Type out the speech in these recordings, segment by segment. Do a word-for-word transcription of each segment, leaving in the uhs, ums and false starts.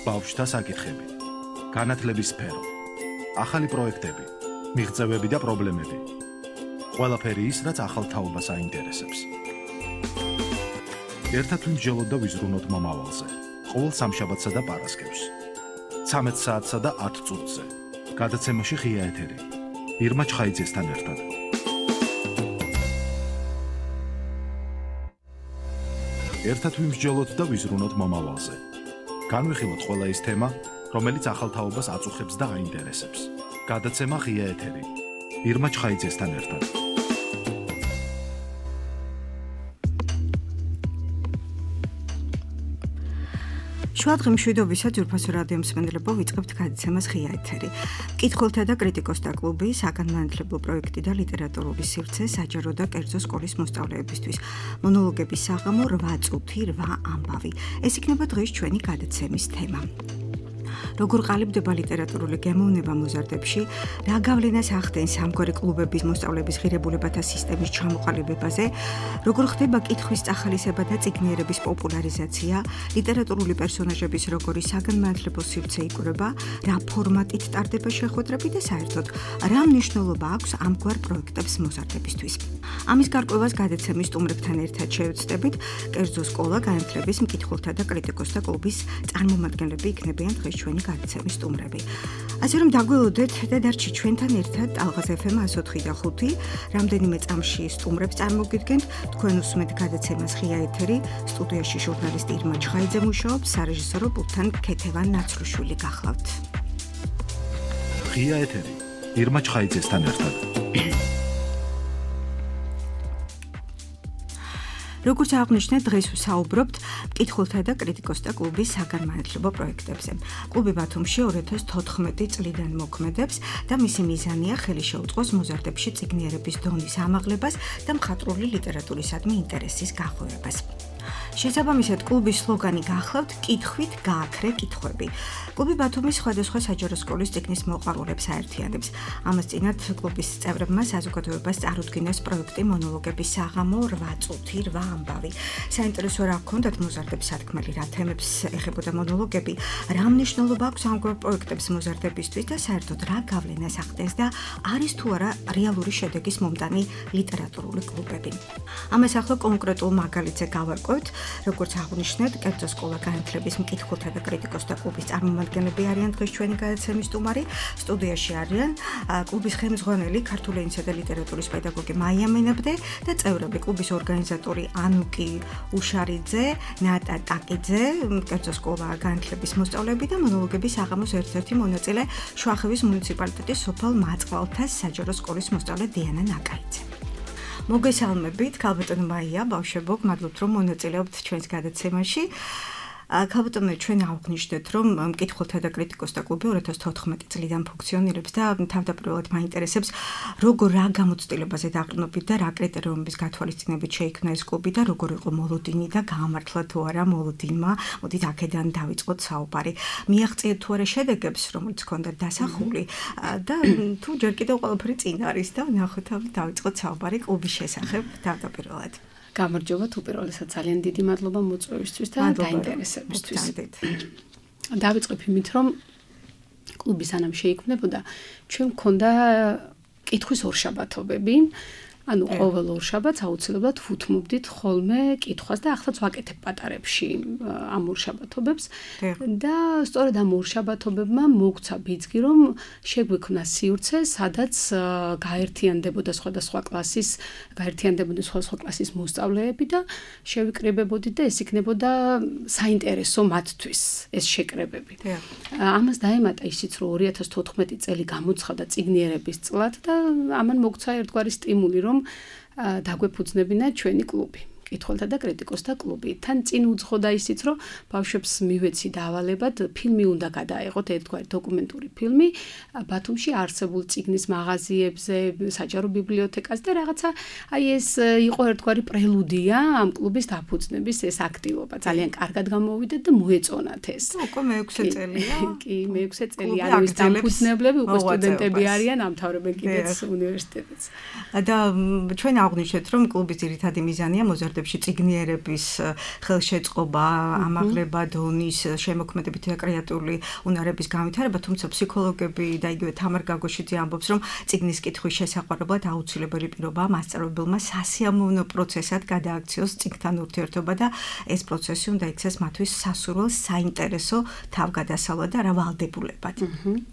ბავშვთა საკითხები, განათლების სფერო, ახალი პროექტები, მიღწევები და პრობლემები. ყველაფერი ის, რაც ახალ თაობას აინტერესებს. ერთად ვიმსჯელოთ და ვიზრუნოთ მომავალზე. ყოველ სამშაბათსა და პარასკევს. ცამეტ საათსა და ათ წუთზე. გადაცემაში ღია ეთერი. ირმა ჩხაიძესთან ერთად. ერთად ვიმსჯელოთ და ვიზრუნოთ მომავალზე. განვიხილოთ ყველა ის თემა, რომელიც ახალ თაობას აწუხებს და აინტერესებს. გადაცემა ღია ეთერი. ირმა ჩხაიძესთან ერთად. შუადღე მშვიდობისა ძვირფასო რადიო მსმენელებო, ვიწყებთ გადაცემას ღია ეთერი. მკითხველთა და კრიტიკოსთა კლუბი, საგანმანათლებლო პროექტი და ლიტერატურული სივრცე საჯარო და კერძო სკოლის მოსწავლეებისთვის. მონოლოგების საღამო რვა წუთი რვა ამბავი. ეს იქნება დღეს ჩვენი გადაცემის თემა. როგორ ყალიბდება ლიტერატურული გემოვნება მოზარდებში, რა გავლენას ახდენს ამგვარი კლუბების მოსწავლეების ღირებულებათა სისტემის ჩამოყალიბებაზე, როგორ ხდება კითხვის წახალისება და წიგნიერების პოპულარიზაცია, ლიტერატურული პერსონაჟების როგორი საგანმანათლებლო სივრცე იკვრება, რა ფორმატით ტარდება შეხვედრები და საერთოდ რა მნიშვნელობა აქვს ამგვარ პროექტებს მოზარდებისთვის. ამის გარკვევას გადაცემის სტუმრებთან ერთად შევეცდებით, კერძო სკოლა განათლების მკითხველთა და კრიტიკოსთა კლუბის წარმომადგენლები იქნებიან დღეს ჩვენი გადაცემის სტუმრები. ასე რომ დაგველოდეთ და დარჩი ჩვენთან ერთად ალღაზ ეფ ემ εκατო ოთხი და ხუთი, რამდენიმე წამში სტუმრებს წარმოგიდგენთ, თქვენ უსმენთ გადაცემას ღია ეთერი, სტუდიაში ჟურნალისტი ირმა ჩხაიძე მუშაობს, სარეჟისორო პულტთან ქეთევან ნაცრუშვილი გახლავთ. ღია ეთერი, ირმა ჩხაიძესთან ერთად. როგორც აღნიშნეთ, დღეს ვსაუბრობთ მკითხველთა და კრიტიკოსთა კლუბის საგანმანათლებლო პროექტებზე. კლუბი ბათუმში ორი ათას თოთხმეტი წლიდან მოქმედებს და მისი მიზანია ხელი შეუწყოს მოზარდებში წიგნიერების დონის ამაღლებას და მხატვრული ლიტერატურისადმი ინტერესის გახვევებას. შესაბამისად, კლუბის სლოგანი გახლავთ კითხვით გააქრე კითხვები. კლუბი ბათუმის სხვადასხვა საჯარო სკოლის წიგნის მოყვარულებს აერთიანებს. ამას წინათ კლუბის წევრებმა საზოგადოებას წარუდგინეს პროექტი მონოლოგების საღამო რვა წუთი რვა ამბავი. საინტერესო რა გქონდათ მოზარდებს სათქმელი, რა თემებს ეხებოდა მონოლოგები, რა მნიშვნელობა აქვს ამგვარ პროექტებს მოზარდებისთვის და საერთოდ რა გავლენას ახდენს და არის თუ არა რეალური შედეგის მომტანი ლიტერატურული კლუბები. ამას ახლა კონკრეტულ მაგალითზე გავარკვევთ. როგორც აღნიშნეთ, კერძო სკოლა განათლების მკითხველთა და კრიტიკოსთა კლუბის წარმომადგენლები არიან დღეს ჩვენი გადაცემის სტუმარი. სტუდიაში არიან კლუბის ხელმძღვანელი, ქართული ენისა და ლიტერატურის პედაგოგი მაია მენაბდე და წევრები კლუბის ორგანიზატორი ანუკი უშარიძე, ნატა ტაკიძე, კერძო სკოლა განათლების მოსწავლეები და მონოლოგების საღამოს ერთ-ერთი მონაწილე შუახევის მუნიციპალიტეტის სოფელ მაწყვალთას საჯარო სკოლის მოსწავლე დიანა ნაკაიძე. მოგესალმებით, ქალბატონო მაია, ბავშვებო, მადლობთ რომ მონაწილეობთ ჩვენს გადაცემაში. ქალბატონო, ჩვენ აღნიშნეთ, რომ მკითხველთა და კრიტიკოსთა კლუბი ორი ათას თოთხმეტი წლიდან ფუნქციონირებს და თავდაპირველად მაინტერესებს, როგორ რა გამოცდილებაზე დაყრდნობით და რა კრიტერიუმების გათვალისწინებით შეიქმნა ეს კლუბი და როგორ იყო მოლოდინი და გაამართლა თუ არა მოლოდინმა. მოდით აქედან დავიწყოთ საუბარი. მიაღწიეთ თუ არა შედეგებს, რომელიც ჰქონდათ დასახული და თუ ჯერ კიდევ ყველაფერი წინ არის და ნახოთ, დავიწყოთ საუბარი კლუბის შესახებ თავდაპირველად. გამარჯობა, თუ პირველად ძალიან დიდი მადლობა მოწვევისთვის და დაინტერესებისთვის. დავიწყებ იმით, რომ კლუბი სანამ შეიქმნებოდა, ჩვენ მქონდა კითხვის ორშაბათობები. ანუ ყოველ ორშაბათს აუცილებლად ვუთმობდით ხოლმე კითხვას და ახლაც ვაკეთებ პატარებში ამ ორშაბათობებს და სწორედ ამ ორშაბათობებმა მოგცა ბიძგი, რომ შეგვექმნა სივრცე, სადაც გაერთიანდებოდა სხვადასხვა კლასის, გაერთიანდებოდა სხვადასხვა კლასის მოსწავლეები და შევიკრიბებოდით და ეს იქნებოდა საინტერესო მათთვის ეს შეკრებები. ამას დაემატა ისიც, რომ ორი ათას თოთხმეტი წელი გამოცხადა წიგნიერების წლად და ამან მოგცა ერთგვარი სტიმული, რომ დაგვეფუძნებინა ჩვენი კლუბი. მკითხველთა და კრიტიკოსთა კლუბი. თან წინ უძღოდა ისიც, რომ ბავშვებს მივეცი დავალებად ფილმი უნდა გადაეღოთ, ერთგვარი დოკუმენტური ფილმი ბათუმში არსებულ წიგნის მაღაზიებზე, საჯარო ბიბლიოთეკას და რაღაცა აი ეს იყო ერთგვარი პრელუდია ამ კლუბის დაფუძნების ეს აქტივობა. ძალიან კარგად გამოვიდა და მოეწონათ ეს. უკვე მეექვსე წელია. კი, მეექვსე წელია. ანუ ეს დაფუძნებლები უკვე სტუდენტები არიან, ამთავრებენ კიდეც უნივერსიტეტს. და ჩვენ აღნიშნეთ, რომ კლუბის ძირითადი მიზანია მოზარდ სფეროებში წიგნიერების ხელშეწყობა, ამაღლება დონის, შემოქმედებითი და კრეატიული უნარების განვითარება, თუმცა ფსიქოლოგები და იგივე თამარ გაგოშიძე ამბობს, რომ წიგნის კითხვის შესაყვარებლად აუცილებელი პირობაა მასწავლებელმა სასიამოვნო პროცესად გადააქციოს წიგნთან ურთიერთობა და ეს პროცესი უნდა იქცეს მათთვის სასურველ, საინტერესო თავგადასავლად და რა ვალდებულებად.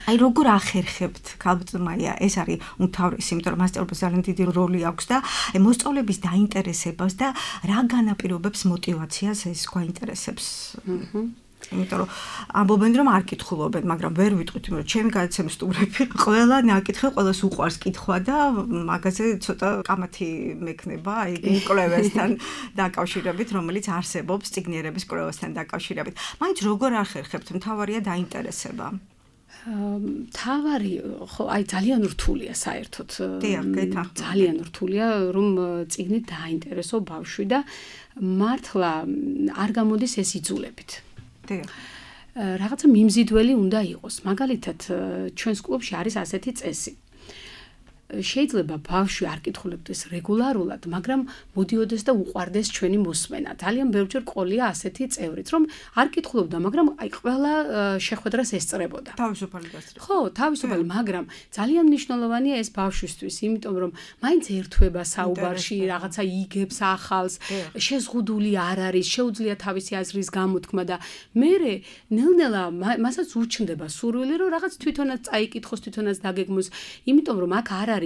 აი როგორ ახერხებთ, ქალბატონია, ეს არის უმთავრესი, იმიტომ რომ მასწავლებელს ძალიან დიდი როლი აქვს და მოსწავლების დაინტერესებას და რა განაპირობებს მოტივაციას ეს გვაინტერესებს. იმიტომ რომ ამბობენ რომ არ კითხულობენ, მაგრამ ვერ ვიტყვით, რომ ჩემი გადაცემის სტუმრები ყველა ნაკითხი, ყველას უყვარს კითხვა და მაგაზე ცოტა კამათი მექნება, აი კვლევასთან დაკავშირებით, რომელიც არსებობს წიგნიერების კვლევასთან დაკავშირებით. მაინც როგორ ახერხებთ, მთავარია დაინტერესება. თავარი ხო აი ძალიან რთულია საერთოდ. ძალიან რთულია რომ წიგნით დაინტერესო ბავშვი და მართლა არ გამოდის ეს იძულებით. რაღაცა მიმზიდველი უნდა იყოს. მაგალითად, ჩვენს კლუბში არის ასეთი წესი. შეიძლება ბავშვი არ კითხულებდეს რეგულარულად, მაგრამ მოდიოდეს და უყვარდეს ჩვენი მოსმენა. ძალიან ბევრჯერ ყოლია ასეთი წევრიც, რომ არ კითხულობდა, მაგრამ აი ყველა შეხვედრას ესწრებოდა. თავისუფალი გასწრება. ხო, თავისუფალი, მაგრამ ძალიან მნიშვნელოვანია ეს ბავშვისთვის, იმიტომ რომ მაინც ერთვება საუბარში, რაღაცა იგებს, ახალს, შეზღუდული არ არის, შეუძლია თავისი აზრის გამოთქმა და მერე ნელ-ნელა მასაც უჩნდება სურვილი, რომ რაღაც თვითონაც წაიკითხოს, თვითონაც დაგეგმოს, იმიტომ რომ აქ არ არის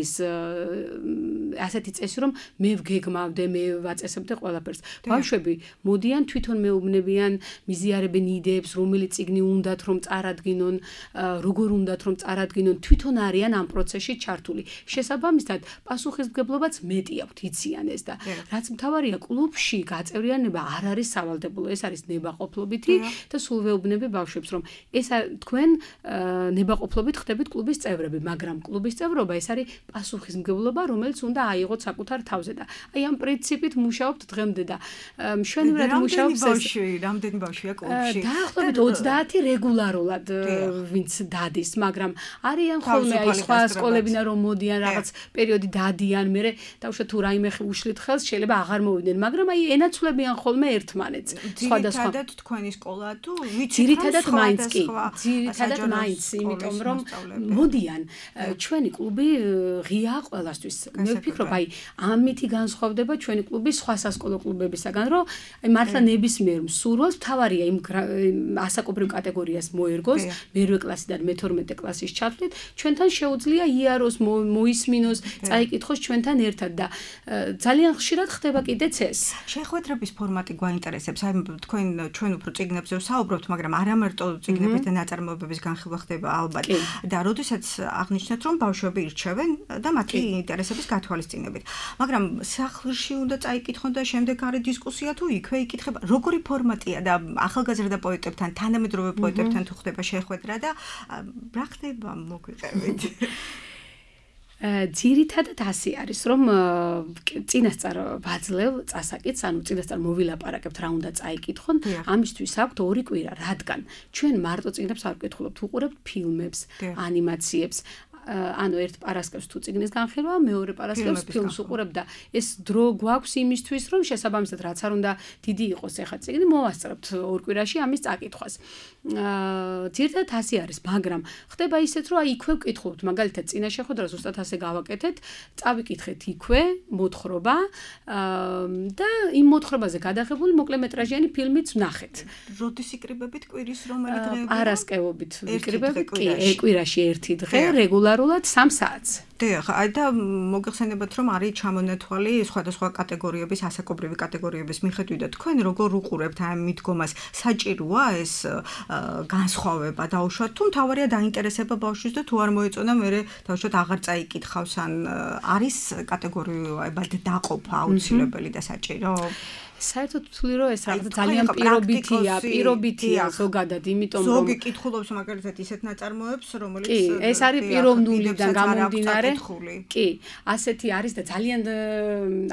ასეთი წესი, რომ მე ვგეგმავდე, მე ვაწესებდე ყველაფერს. ბავშვები მოდიან თვითონ მეუბნებიან, მიზიარებენ იდეებს, რომელი წიგნი უნდათ რომ წარადგინონ, როგორ უნდათ რომ წარადგინონ, თვითონ არიან ამ პროცესში ჩართული. შესაბამისად, პასუხისმგებლობაც მეტი აქვთ, იციან ეს და რაც მთავარია, კლუბში გაწევრიანება არ არის სავალდებულო, ეს არის ნებაყოფლობითი და სულ ვეუბნები ბავშვებს, რომ ეს თქვენ ნებაყოფლობით ხდებით კლუბის წევრები, მაგრამ კლუბის წევრობა ეს არის პასუხისმგებლობა, რომელიც უნდა აიღოთ საკუთარ თავზე და აი ამ პრინციპით მუშაობთ დღემდე და მშვენივრად მუშაობს ეს. რამდენი ბავშვია კლუბში? დაახლოებით ოცდაათი რეგულარულად ვინც დადის, მაგრამ არიან ხოლმე აი სხვა სკოლებიდან რომ მოდიან რაღაც პერიოდი დადიან, მერე დავუშვათ თუ რაიმე უშლით ხელს, შეიძლება აღარ მოვიდნენ, მაგრამ აი ენაცვლებიან ხოლმე ერთმანეთს. სხვადასხვა. ძირითადად თქვენი სკოლა თუ ვიცით ძირითადად მაინც კი, ძირითადად მაინც, იმიტომ რომ მოდიან ჩვენი კლუბი ღია ყველასთვის. მე ვფიქრობ, აი ამითი განსხვავდება ჩვენი კლუბი სხვა სასკოლო კლუბებისაგან, რომ აი მართლა ნებისმიერ მსურველს თავარია იმ ასაკობრივ კატეგორიას მოერგოს, მერვე კლასიდან მეთორმეტე კლასის ჩათვლით, ჩვენთან შეუძლია იაროს, მოისმინოს, წაიკითხოს ჩვენთან ერთად და ძალიან ხშირად ხდება კიდეც ეს. შეხვედრების ფორმატი გვაინტერესებს. აი თქვენ ჩვენ უფრო წიგნებზე ვსაუბრობთ, მაგრამ არა მარტო წიგნების და ნაწარმოებების განხილვა ხდება ალბათ. და როდესაც აღნიშნეთ, რომ ბავშვები ირჩევენ და მათი ინტერესების გათვალისწინებით. მაგრამ სახლში უნდა წაიკითხონ და შემდეგ არის დისკუსია თუ იქვე იკითხება. როგორი ფორმატია და ახალგაზრდა პოეტებთან, თანამედროვე პოეტებთან თუ ხდება შეხვედრა და რა ხდება მოგვიყევით? ძირითადად ასე არის, რომ წინასწარ ვაძლევ წასაკითხს, ანუ წინასწარ მოვილაპარაკებთ რა უნდა წაიკითხონ, ამისთვის აქვთ ორი კვირა, რადგან ჩვენ მარტო წიგნებს არ ვკითხულობთ, ვუყურებთ ფილმებს, ანიმაციებს, ანუ ერთ პარასკევს თუ წიგნის განხილვა, მეორე პარასკევს ფილმს უყურებ და ეს დრო გვაქვს იმისთვის, რომ შესაბამისად რაც არ უნდა დიდი იყოს ეხა წიგნი, მოვასწრებთ ორ კვირაში ამის წაკითხვას. ძირითადად ასე არის, მაგრამ ხდება ისეთ, რომ აი იქვე ვკითხულობთ, მაგალითად წინა შეხვედრას ზუსტად ასე გავაკეთეთ, წავიკითხეთ იქვე მოთხრობა და იმ მოთხრობაზე გადაღებული მოკლემეტრაჟიანი ფილმიც ვნახეთ. როდის იკრიბებით კვირის რომელი დღეები? პარასკევობით ვიკრიბებით, კი, კვირაში ერთი დღე, რეგულარულად სამ საათს. დიახ, აი და მოგეხსენებათ, რომ არის ჩამონათვალი სხვადასხვა კატეგორიების, ასაკობრივი კატეგორიების მიხედვით და თქვენ როგორ უყურებთ ამ მიდგომას? საჭიროა ეს განსხვავება დაუშვათ, თუ მთავარია დაინტერესება ბავშვის და თუ არ მოეწონა, მერე დაუშვათ აღარ წაიკითხავს, ან არის კატეგორიებად დაყოფა აუცილებელი და საჭირო? საერთოდ ვთვლი, რომ ეს რაღაც ძალიან პირობითია, პირობითია ზოგადად, იმიტომ რომ ზოგი კითხულობს მაგალითად ისეთ ნაწარმოებს, რომელიც კი, ეს არის პიროვნულიდან გამომდინარე. კი, ასეთი არის და ძალიან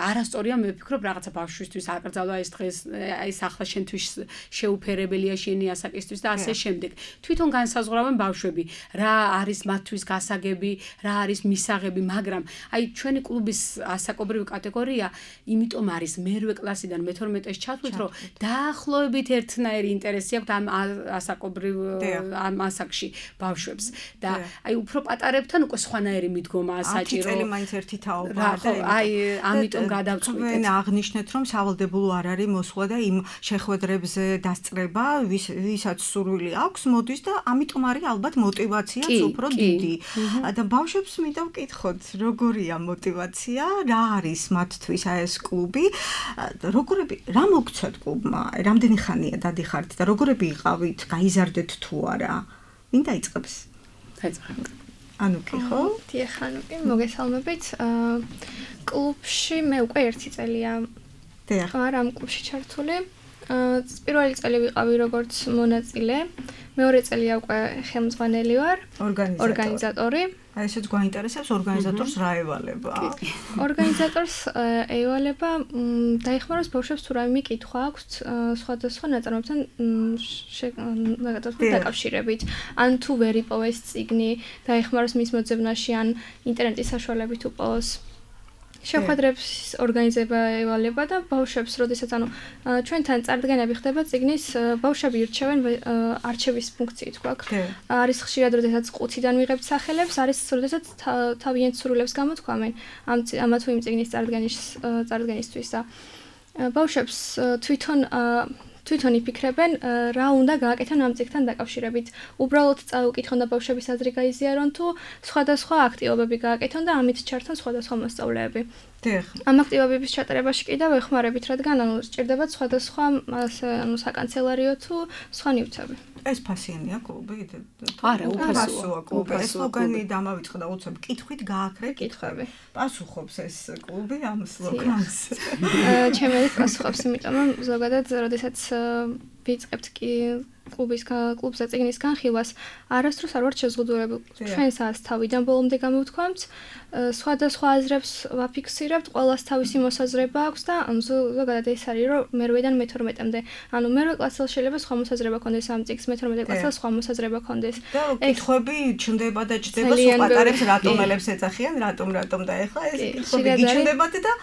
არასწორია, მე ვფიქრობ, რაღაცა ბავშვისთვის აკრძალვა ეს დღეს, აი ახლა შენთვის შეუფერებელია შენი ასაკისთვის და ასე შემდეგ. თვითონ განსაზღვრავენ ბავშვები, რა არის მათთვის გასაგები, რა არის მისაღები, მაგრამ აი ჩვენი კლუბის ასაკობრივი კატეგორია, იმიტომ არის მერვე კლასიდან მეთორმეტეს ჩათვლით, რომ დაახლოებით ერთნაირი ინტერესი აქვს ამ ასაკობრივ ამ ასაკში ბავშვებს და აი უფრო პატარებთან უკვე სხვანაირი მიდგომაა საჭირო. ათი წელი მაინც ერთი თაობაა და აი ამიტომ გადავწყვიტეთ. თქვენ აღნიშნეთ, რომ სავალდებულო არ არის მოსვლა და იმ შეხვედრებზე დასწრება, ვისაც სურვილი აქვს, მოდის და ამიტომ არის ალბათ мотиваციაც უფრო დიდი. და ბავშვებს მინდა ვკითხოთ, როგორია мотиваცია, რა არის მათთვის აი ეს კლუბი, როგორები, რა მოგცეთ კლუბმა, რამდენი ხანია დადიხართ და როგორები იყავით, გაიზარდეთ თუ არა? ვინ დაიწყებს? დაიწყებ. ანუკი ხო? დიახ, ანუკი, მოგესალმებით. კლუბში მე უკვე ერთი წელია ვარ ამ კლუბში ჩართული. პირველი წელი ვიყავი როგორც მონაწილე, მეორე წელია უკვე ხელმძღვანელი ვარ, ორგანიზატორი. აი ესეც გვაინტერესებს ორგანიზატორს რა ევალება? ორგანიზატორს ევალება დაიხმაროს ბავშვებს თუ რაიმე კითხვა აქვს სხვადასხვა ნაწარმოებთან დაკავშირებით. ან თუ ვერ იპოვეს წიგნი, დაიხმაროს მის მოძებნაში, ან ინტერნეტის საშუალებით უპოვოს. შეხვედრებს ორგანიზება ევალება და ბავშვებს, როდესაც ანუ ჩვენთან წარდგენები ხდება წიგნის, ბავშვები ირჩევენ არჩევის ფუნქციით გვაქვს. არის ხშირად, როდესაც ყუთიდან ვიღებთ სახელებს, არის როდესაც თავიანთ სურვილებს გამოთქვამენ ამ ამა თუ იმ წიგნის წარდგენის წარდგენისთვის და ბავშვებს თვითონ თვითონ იფიქრებენ რა უნდა გააკეთონ ამ წიგნთან დაკავშირებით. უბრალოდ წაუკითხონ და ბავშვების აზრი გაიზიარონ თუ სხვადასხვა აქტივობები გააკეთონ და ამით ჩართონ სხვადასხვა მოსწავლეები. ამ აქტივობების ჩატარებაში კიდევ ეხმარებით, რადგან ანუ სჭირდებათ სხვადასხვა ანუ საკანცელერიო თუ სხვა ნივთები. ეს ფასიანია კლუბი? არა, უფასოა კლუბი. ეს სლოგანი დამავიწყდა უცებ კითხვით გააქრეთ კითხვები. პასუხობს ეს კლუბი ამ სლოგანს. ჩემი არის პასუხობს, იმიტომ რომ ზოგადად, როდესაც ვიწყებთ კი კლუბის კლუბზე წიგნის განხილვას, არასდროს არ ვართ შეზღუდულები. ჩვენსაც თავიდან ბოლომდე გამოვთქვამთ, სხვადასხვა აზრებს ვაფიქსირებთ, ყველას თავისი მოსაზრება აქვს და ზოგადად ეს არის, რომ მერვედან მეთორმეტემდე. ანუ მერვე კლასელს შეიძლება სხვა მოსაზრება ქონდეს ამ წიგნს, მეთორმეტე კლასელს სხვა მოსაზრება ქონდეს. და კითხვები ჩნდება და ჩდება, სულ პატარებს რატომელებს ეძახიან, რატომ რატომ და ეხლა ეს კითხვები გიჩნდებათ და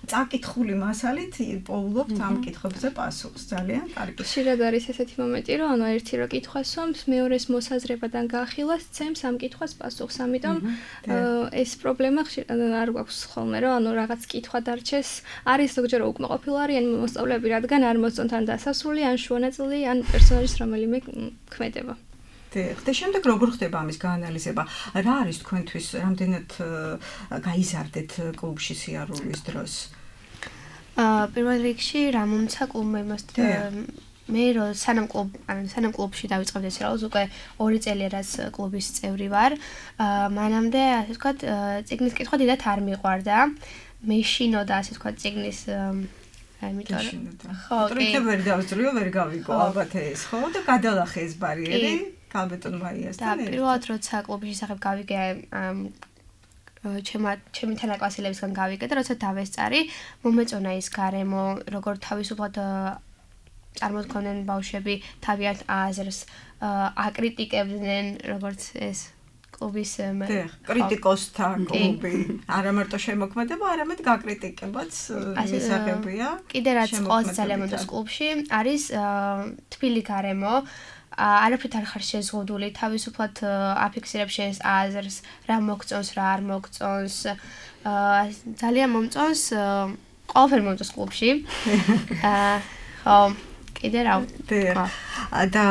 წაკითხული მასალით პოულობთ ამ კითხვებზე პასუხს. ძალიან კარგი. ხშირად არის ესეთი მომენტი, რომ ანუ ერთი რო კითხვას ვამს, მეორეს მოსაზრებიდან გაახილვას, ცემს ამ კითხვას პასუხს. ამიტომ ეს პრობლემა არ გვაქვს ხოლმე, რომ ანუ რაღაც კითხვა დარჩეს. არის ზოგჯერ უკმაყოფილო არიან მოსწავლეები, რადგან არ მოსწონთ ან დასასრული, ან შუანაწილი, ან პერსონაჟის რომელიმე ქმედება. და შემდეგ როგორ ხდება ამის გაანალიზება? რა არის თქვენთვის, რამდენად გაიზარდეთ კლუბში სიარულის დროს? პირველ რიგში რა მომცა კლუბმა იმას მე რომ სანამ კლუბ ანუ სანამ კლუბში დავიწყებდი ეს რა უკვე ორი წელია რაც კლუბის წევრი ვარ. მანამდე ასე ვთქვათ წიგნის კითხვა დიდათ არ მიყვარდა. მეშინოდა ასე ვთქვათ წიგნის ამიტომ ხო კი ვერ დავწრიო ვერ გავიგო ალბათ ეს ხო და გადალახე ეს ბარიერი კალბეტონ მაიასთან და პირველად როცა კლუბის შესახებ გავიგე ჩემი ჩემი თანაკლასელებისგან გავიგე და როცა დავესწარი მომეწონა ის გარემო როგორ თავისუფლად წარმოთქვამდნენ ბავშვები თავიანთ აზრს აკრიტიკებდნენ როგორც ეს კლუბის კრიტიკოსთა კლუბი არა მარტო შემოქმედება არამედ გაკრიტიკებაც მისაღებია კიდე რაც ყავს ძალიან მომდოს კლუბში არის თბილი გარემო არაფრით არ ხარ შეზღუდული თავისუფლად აფიქსირებ შენს აზრს რა მოგწონს რა არ მოგწონს ძალიან მომწონს ყველაფერი მომწონს კლუბში ხო კიდე რა და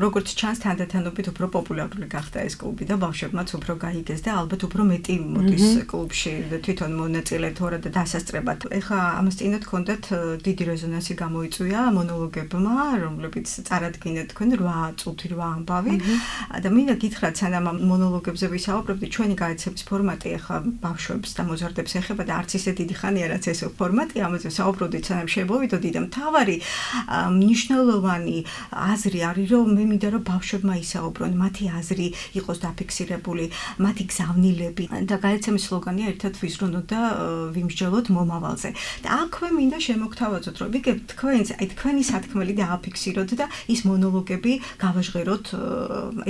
როგორც ჩანს თანდათანობით უფრო პოპულარული გახდა ეს კლუბი და ბავშვებმაც უფრო გაიგეს და ალბათ უფრო მეტი მოდის კლუბში თვითონ მონაწილე თორე და დასასწრებად. ეხლა ამას წინათ ჰქონდათ დიდი რეზონანსი გამოიწვია მონოლოგებმა, რომლებიც წარადგინეთ თქვენ რვა წუთი რვა ამბავი და მინდა გითხრათ სანამ მონოლოგებზე ვისაუბრებდი ჩვენი გაეცების ფორმატი ეხლა ბავშვებს და მოზარდებს ეხება და არც ისე დიდი ხანია რაც ეს ფორმატი ამაზე საუბრობდით სანამ შემოვიდოდი და მთავარი მნიშვნელოვანი აზრი არის, რომ მე მინდა რომ ბავშვებმა ისაუბრონ, მათი აზრი იყოს დაფიქსირებული, მათი გზავნილები და გადაცემის სლოგანია ერთად ვიზრუნოთ და ვიმსჯელოთ მომავალზე. და აქვე მინდა შემოგთავაზოთ, რომ იგივე თქვენს, აი თქვენი სათქმელი დააფიქსიროთ და ის მონოლოგები გავაჟღეროთ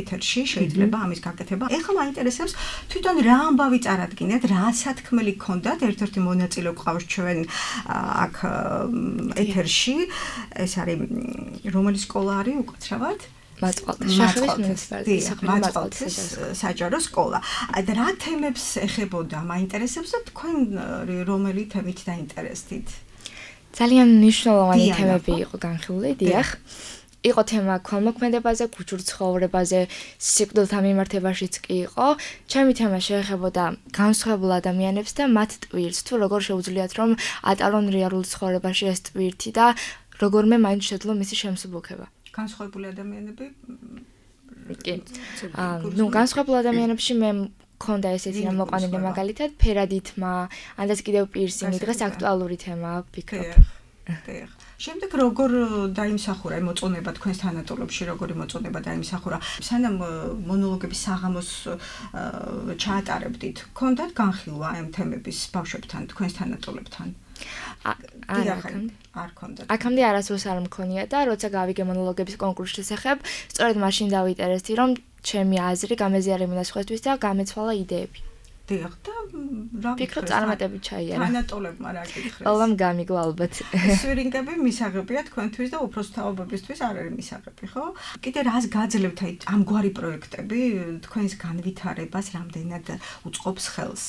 ეთერში, შეიძლება ამის გაკეთება. ეხლა მაინტერესებს თვითონ რა ამბავი წარადგინეთ, რა სათქმელი გქონდათ, ერთ-ერთი მონაწილე გვყავს ჩვენ აქ ეთერში, ეს არის რომელი სკოლა არის უკაცრავად? მაწყალთის მაწყალთის საჯარო სკოლა. და რა თემებს ეხებოდა, მაინტერესებს და თქვენ რომელი თემით დაინტერესდით? ძალიან მნიშვნელოვანი თემები იყო განხილული, დიახ. იყო თემა ქველმოქმედებაზე, კულტურულ ცხოვრებაზე, სიკვდილთან მიმართებაშიც კი იყო. ჩემი თემა შეეხებოდა განსხვავებულ ადამიანებს და მათ ტვირთს, თუ როგორ შეუძლიათ რომ ატარონ რეალურ ცხოვრებაში ეს ტვირთი და როგორმე მაინც შეძლო მისი შემსუბუქება. განსხვავებული ადამიანები? კი. აა, ნუ განსხვავებულ ადამიანებში მე მქონდა ესეთი რამ მოყვანილი მაგალითად ფერადითმა, ანდაც კიდევ პირსინგი, დღეს აქტუალური თემაა, ვფიქრობ. დიახ. შემდეგ როგორ დაიმსახურა მოწონება თქვენს თანატოლებში, როგორი მოწონება დაიმსახურა? სანამ მონოლოგების საღამოს ჩაატარებდით, გქონდათ განხილვა ამ თემების ბავშვებთან, თქვენს თანატოლებთან? არა, არ გქონდათ. აქამდე არასდროს არ მქონია და როცა გავიგე მონოლოგების კონკურსის შესახებ, სწორედ მაშინ დავინტერესდი, რომ ჩემი აზრი გამეზიარებინა სხვისთვის და გამეცვალა იდეები. დიახ, და რა ვფიქრობ წარმატებით ჩაიარა. თანატოლებმა რა გითხრეს? ყველამ გამიგო ალბათ. სვირინგები მისაღებია თქვენთვის და უფროს თაობებისთვის არ არის მისაღები, ხო? კიდე რას გაძლევთ აი ამგვარი პროექტები თქვენს განვითარებას რამდენად უწყობს ხელს?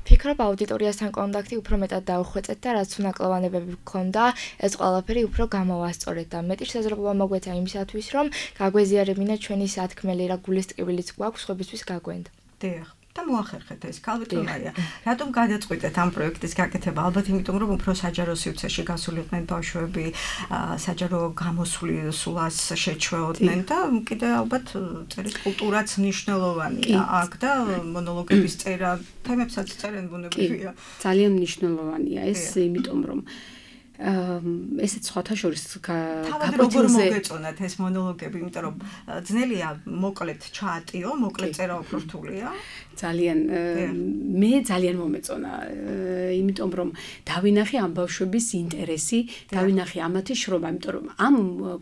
ვფიქრობ აუდიტორიასთან კონტაქტი უფრო მეტად დაუხვეწეთ და რაც უნაკლოვანებები გქონდა, ეს ყველაფერი უფრო გამოვასწორეთ და მეტი შესაძლებლობა მოგვეცა იმისათვის, რომ გაგვეზიარებინა ჩვენი სათქმელი რა გულის ტკივილიც გვაქვს სხვებისთვის გაგვენდა. დიახ. და მოახერხეთ ეს კალვიტონია. რატომ გადაწყვიტეთ ამ პროექტის გაკეთება? ალბათ იმიტომ, რომ უფრო საჯარო სივრცეში გასულიყვნენ ბავშვები, საჯარო გამოსვლას შეჩვეოდნენ და კიდე ალბათ წერის კულტურაც მნიშვნელოვანია აქ და მონოლოგების წერა თემებსაც წერენ ბუნებრივია. ძალიან მნიშვნელოვანია ეს, იმიტომ რომ ესეც სხვათა შორის გაკვეთილზე მოგეწონათ ეს მონოლოგები, იმიტომ რომ ძნელია მოკლედ ჩაატიო, მოკლედ წერა უფრო რთულია. ძალიან მე ძალიან მომეწონა, იმიტომ რომ დავინახე ამ ბავშვების ინტერესი, დავინახე ამათი შრომა, იმიტომ რომ ამ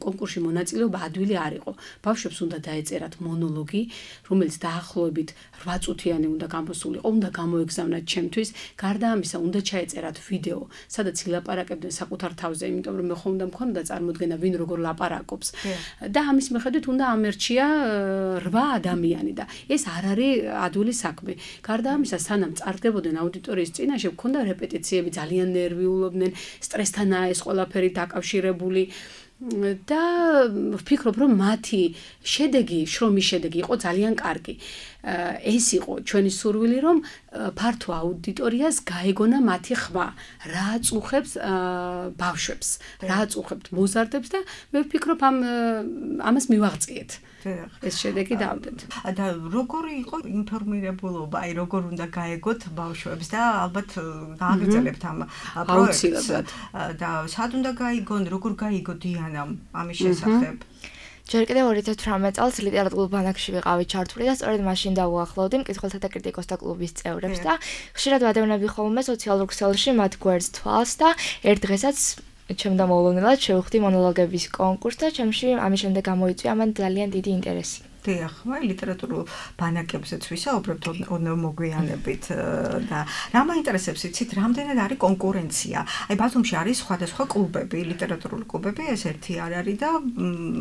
კონკურსში მონაწილეობა ადვილი არ იყო. ბავშვებს უნდა დაეწერათ მონოლოგი, რომელიც დაახლოებით რვა წუთიანი უნდა გამოსულიყო, უნდა გამოეგზავნათ ჩემთვის. გარდა ამისა, უნდა ჩაეწერათ ვიდეო, სადაც ილაპარაკებდნენ საკუთარ თავზე, იმიტომ რომ მე ხომ უნდა მქონდა წარმოდგენა ვინ როგორ ლაპარაკობს. და ამის მიხედვით უნდა ამერჩია რვა ადამიანი და ეს არ არის ადვილი საქმე. გარდა ამისა, სანამ წარდებოდნენ აუდიტორიის წინაშე, მქონდა რეპეტიციები, ძალიან ნერვიულობდნენ, სტრესთანაა ეს ყველაფერი დაკავშირებული. და ვფიქრობ, რომ მათი შედეგი, შრომის შედეგი იყო ძალიან კარგი. ეს იყო ჩვენი სურვილი, რომ ფართო აუდიტორიას გაეგონა მათი ხმა, რა აწუხებს ბავშვებს, რა აწუხებთ მოზარდებს და მე ვფიქრობ, ამ ამას მივაღწიეთ. ეს შედეგი დავდეთ. და როგორი იყო ინფორმირებულობა, აი როგორ უნდა გაეგოთ ბავშვებს და ალბათ გააგრძელებთ ამ პროექტს და სად უნდა გაიგონ, როგორ გაიგო დიანამ ამის შესახებ? ჯერ კიდევ ორი ათას თვრამეტ წელს ლიტერატურულ ბანაკში ვიყავი ჩართული და სწორედ მაშინ დავუახლოვდი მკითხველთა და კრიტიკოსთა კლუბის წევრებს და ხშირად ვადევნები ხოლმე სოციალურ ქსელში მათ გვერდს თვალს და ერთ დღესაც ჩემდა მოულოდნელად შევხვდი მონოლოგების კონკურსს და ჩემში ამის შემდეგ გამოიწვია მან ძალიან დიდი ინტერესი. დიახ, მე ლიტერატურულ ბანაკებზეც ვისაუბრებთ ოდნავ მოგვიანებით და რა მაინტერესებს იცით, რამდენად არის კონკურენცია. აი ბათუმში არის სხვადასხვა კლუბები, ლიტერატურული კლუბები, ეს ერთი არ არის და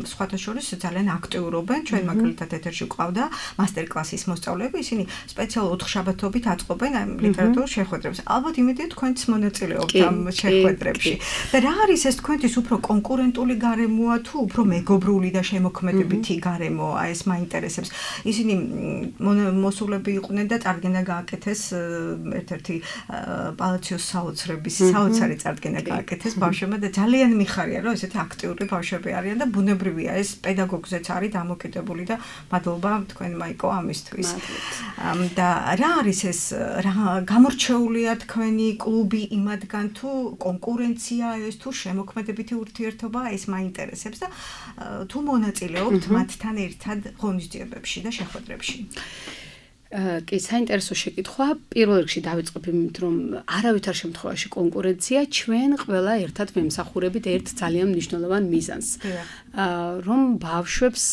სხვათა შორის ძალიან აქტიურობენ. ჩვენ მაგალითად ეთერში ყავდა მასტერკლასის მოსწავლეები, ისინი სპეციალურ ოთხშაბათობით აწყობენ ამ ლიტერატურულ შეხვედრებს. ალბათ იმედია თქვენც მონაწილეობთ ამ შეხვედრებში. და რა არის ეს თქვენთვის უფრო კონკურენტული გარემოა თუ უფრო მეგობრული და შემოქმედებითი გარემოა ეს მაინტერესებს. ისინი მოსულები იყვნენ და წარდგენა გააკეთეს ერთ-ერთი პალაციოს საოცრების საოცარი წარდგენა გააკეთეს ბავშვებმა და ძალიან მიხარია რომ ესეთი აქტიური ბავშვები არიან და ბუნებრივია ეს პედაგოგზეც არის დამოკიდებული და მადლობა თქვენ მაიკო ამისთვის. და რა არის ეს რა გამორჩეულია თქვენი კლუბი იმადგან თუ კონკურენცია ეს თუ შემოქმედებითი ურთიერთობა ეს მაინტერესებს და თუ მონაწილეობთ მათთან ერთად ღონისძიებებში და შეხვედრებში. კი, საინტერესო შეკითხვა. პირველ რიგში დავიწყებ იმით, რომ არავითარ შემთხვევაში კონკურენცია ჩვენ ყველა ერთად ვემსახურებით ერთ ძალიან მნიშვნელოვან მიზანს. რომ ბავშვებს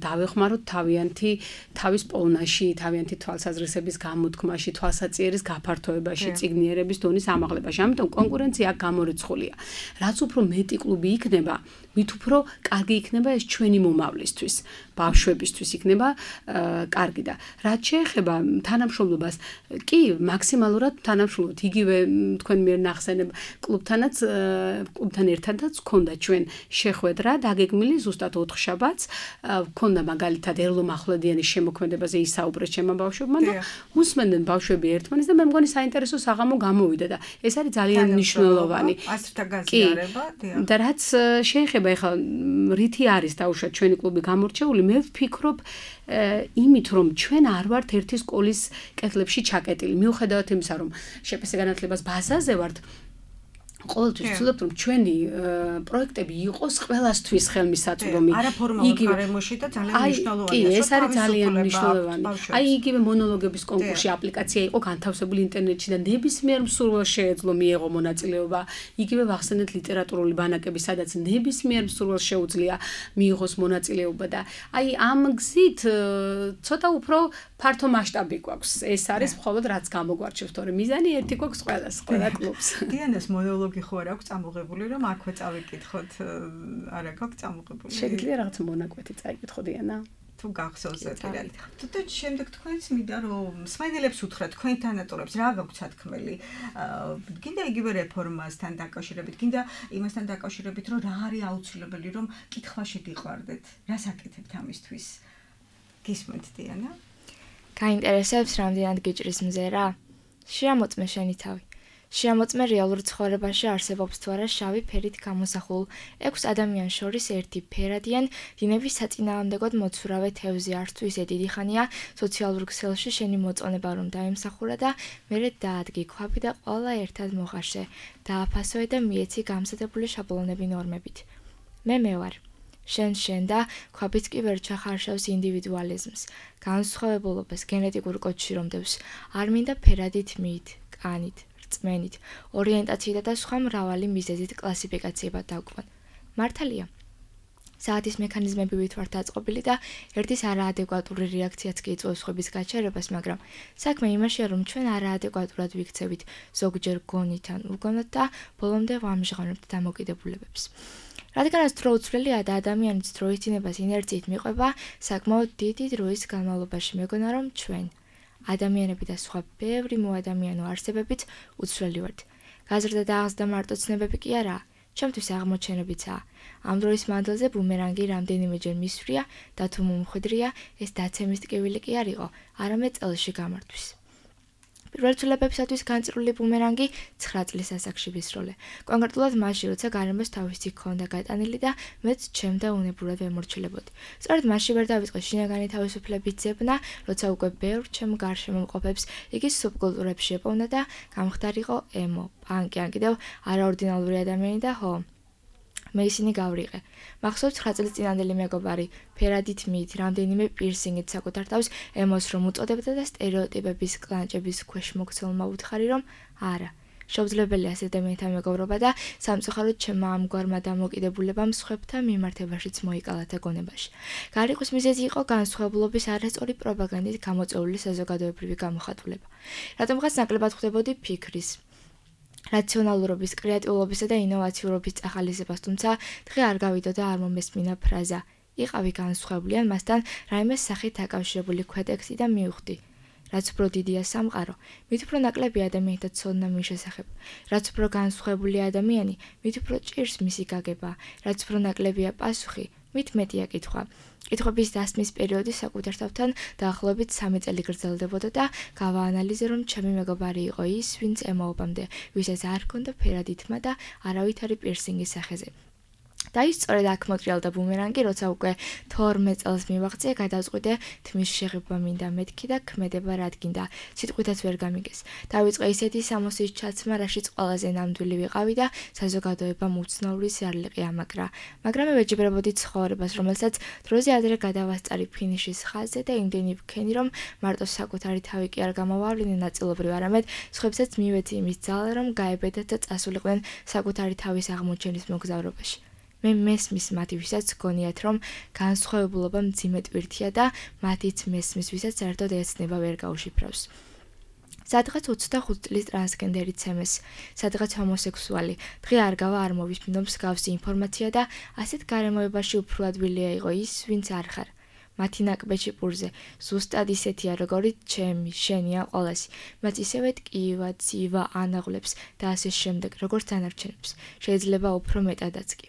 დავეხმაროთ თავიანთი თავის პოვნაში, თავიანთი თვალსაზრისების გამოთქმაში, თვალსაწიერის გაფართოებაში, წიგნიერების დონის ამაღლებაში. ამიტომ კონკურენცია გამორიცხულია. რაც უფრო მეტი კლუბი იქნება, მით უფრო კარგი იქნება ეს ჩვენი მომავლისთვის, ბავშვებისთვის იქნება კარგი და რაც შეეხება თანამშრომლობას, კი, მაქსიმალურად თანამშრომლობთ. იგივე თქვენ მიერ ნახსენებ კლუბთანაც, კლუბთან ერთადაც გქონდა ჩვენ შეხვედრა დაგეგმილი ზუსტად ოთხ შაბათს, გქონდა მაგალითად ერლო-მახვლედიანის შემოქმედებაზე ისაუბრეთ ჩემმა ბავშვებმა და უსმენდნენ ბავშვები ერთმანეთს და მე მგონი საინტერესო საღამო გამოვიდა და ეს არის ძალიან მნიშვნელოვანი. ასრთა გაზიარება, დიახ. და რაც შეეხება ეხლა რითი არის დაუშვათ ჩვენი კლუბი გამორჩეული, მე ვფიქრობ იმით რომ ჩვენ არ ვართ ერთი სკოლის კედლებში ჩაკეტილი. მიუხედავად იმისა, რომ შეფასე განათლებას ბაზაზე ვართ, ყოველთვის ვცდილობთ რომ ჩვენი პროექტები იყოს ყველასთვის ხელმისაწვდომი. იგივე გარემოში და ძალიან მნიშვნელოვანია. კი, ეს არის ძალიან მნიშვნელოვანი. აი იგივე მონოლოგების კონკურსში აპლიკაცია იყო განთავსებული ინტერნეტში და ნებისმიერ მსურველს შეეძლო მიეღო მონაწილეობა. იგივე ვახსენეთ ლიტერატურული ბანაკები, სადაც ნებისმიერ მსურველს შეუძლია მიიღოს მონაწილეობა და აი ამ გზით ცოტა უფრო ფართო მასშტაბი გვაქვს. ეს არის მხოლოდ რაც გამოგვარჩევს, თორემ მიზანი ერთი გვაქვს ყველას, ყველა კლუბს. დიანას მონოლოგი ხო არ აქვს წამოღებული, რომ აქვე წავიკითხოთ, არა გაქვს წამოღებული. შეგიძლია რაღაც მონაკვეთი წაიკითხო დიანა? თუ გახსოვს პირად. თუმცა შემდეგ თქვენს მინდა რომ მსმენელებს უთხრათ თქვენ თანატოლებს რა გაქვთ სათქმელი. გინდა იგივე რეფორმასთან დაკავშირებით, გინდა იმასთან დაკავშირებით, რომ რა არის აუცილებელი, რომ კითხვაში გიყვარდეთ. რას აკეთებთ ამისთვის? გისმენთ დიანა? გაინტერესებს რამდენად გიჭრის მზერა? შეამოწმე შენი თავი. შეამოწმე რეალურ ცხოვრებაში არსებობს თუ არა შავი ფერით გამოსახულ ექვს ადამიანს შორის ერთი ფერადიან დინების საწინააღმდეგოდ მოცურავე თევზი არც თუ ისე დიდი ხანია სოციალურ ქსელში შენი მოწონება რომ დაიმსახურა და მერე დაადგი ქვაბი და ყველა ერთად მოხარშე დააფასოე და მიეცი გამზადებული შაბლონები ნორმებით. მე მე ვარ. შენ შენ და ქვაბიც კი ვერ ჩახარშავს ინდივიდუალიზმს, განსხვავებულობას გენეტიკურ კოდში რომ დევს, არ მინდა ფერადით მით, კანით, რწმენით, ორიენტაციით და სხვა მრავალი მიზეზით კლასიფიკაციებად დავკვან. მართალია. საათის მექანიზმები ვით ვართ დაწყობილი და ერთის არაადეკვატური რეაქციაც კი იწვევს ხვების გაჩერებას, მაგრამ საქმე იმაშია, რომ ჩვენ არაადეკვატურად ვიქცევით ზოგჯერ გონით ან უგონოდ და ბოლომდე ვამჟღავნებთ დამოკიდებულებებს. რადგანაც დრო უცვლელია და ადამიანის დროის დინებას ინერციით მიყვება, საკმაოდ დიდი დროის განმავლობაში მეგონა რომ ჩვენ ადამიანები და სხვა ბევრი მოადამიანო არსებებიც უცვლელი ვართ. გაზრდა და აღზრდა მარტო ცნებები კი არაა, ჩემთვის აღმოჩენებიცაა. ამ დროის მანძილზე ბუმერანგი რამდენიმეჯერ მისვრია და თუ მომხვედრია, ეს დაცემის ტკივილი კი არ იყო, არამედ წელში გამართვის. პირველ ცვლილებებისათვის განწირული ბუმერანგი ცხრა წლის ასაკში ვისროლე. კონკრეტულად მაშინ, როცა გარემოს თავისი ჰქონდა გატანილი და მეც ჩემდა უნებურად ვემორჩილებოდი. სწორედ მაშინ ვერ დავიწყე შინაგანი თავისუფლების ძებნა, როცა უკვე ბევრ ჩემ გარშემო მყოფებს იგი სუბკულტურებში ეპოვნა და გამხდარიყო ემო, პანკი ან კიდევ არაორდინალური ადამიანი და ჰო. მე ისინი გავრიყე. მახსოვს ცხრა წლის წინანდელი მეგობარი, ფერადით მით, რამდენიმე პირსინგით საკუთარ თავს ემოს რომ უწოდებდა და სტერეოტიპების კლანჭების ქვეშ მოქცეულმა უთხარი რომ არა. შეუძლებელია ასეთ ადამიანთან მეგობრობა და სამწუხაროდ ჩემმა ამგვარმა დამოკიდებულებამ სხვებთან მიმართებაშიც მოიკალათ ეგონებაში. გარიყვის მიზეზი იყო განსხვავებულობის არასწორი პროპაგანდით გამოწვეული საზოგადოებრივი გამოხატულება. რატომღაც ნაკლებად ხვდებოდი ფიქრის რაციონალურობის, კრეატიულობისა და ინოვაციურობის წახალისებას, თუმცა დღე არ გავიდო და არ მომესმინა ფრაზა. იყავი განსხვავებული ან მასთან რაიმე სახით დაკავშირებული ქვეტექსტი და მივხვდი. რაც უფრო დიდია სამყარო, მით უფრო ნაკლები ადამიანთა ცოდნა მის შესახებ. რაც უფრო განსხვავებული ადამიანი, მით უფრო ჭირს მისი გაგება. რაც უფრო ნაკლებია პასუხი, მით მეტია კითხვა. კითხვების დასმის პერიოდი საკუთარ თავთან დაახლოებით სამი წელი გრძელდებოდა და გავაანალიზე, რომ ჩემი მეგობარი იყო ის, ვინც ემაობამდე, ვისაც არ ჰქონდა ფერადი თმა და არავითარი პირსინგის სახეზე. და ის სწორედ აქ მოტრიალდა ბუმერანგი, როცა უკვე თორმეტ წელს მივაღწია, გადავწყვიტე თმის შეღება მინდა მეთქი და ქმედება რადგინდა, სიტყვითაც ვერ გამიგეს. დავიწყე ისეთი სამოსის ჩაცმა, რაშიც ყველაზე ნამდვილი ვიყავი და საზოგადოებამ უცნაური ზარლიყი ამაგრა. მაგრამ მე ვეჯიბრებოდი ცხოვრებას, რომელსაც დროზე ადრე გადავასწარი ფინიშის ხაზზე და იმდენი ვქენი, რომ მარტო საკუთარი თავი კი არ გამოვავლინე ნაწილობრივ, არამედ სხვებსაც მივეცი იმის ძალა, რომ გაებედათ და წასულიყვნენ საკუთარი თავის აღმოჩენის მოგზაურობაში. მე მესმის მათ ვისაც გონიათ, რომ განსხვავებულობა მძიმე ტვირთია და მათიც მესმის ვისაც საერთოდ ეცნება ვერ გაუშიფრავს. სადღაც ოცდახუთი წლის ტრანსგენდერი ცემეს, სადღაც ჰომოსექსუალი, დღე არ გავა არ მოვიფინო მსგავსი ინფორმაცია და ასეთ გარემოებაში უფრო ადვილია იყო ის, ვინც არ ხარ. მათი ნაკბეჭი პურზე, ზუსტად ისეთია, როგორიც ჩემი, შენი ან ყველასი, მათ ისევე ტკივა, ძივა, ანაღლებს და ასე შემდეგ, როგორც დანარჩენებს, შეიძლება უფრო მეტადაც კი.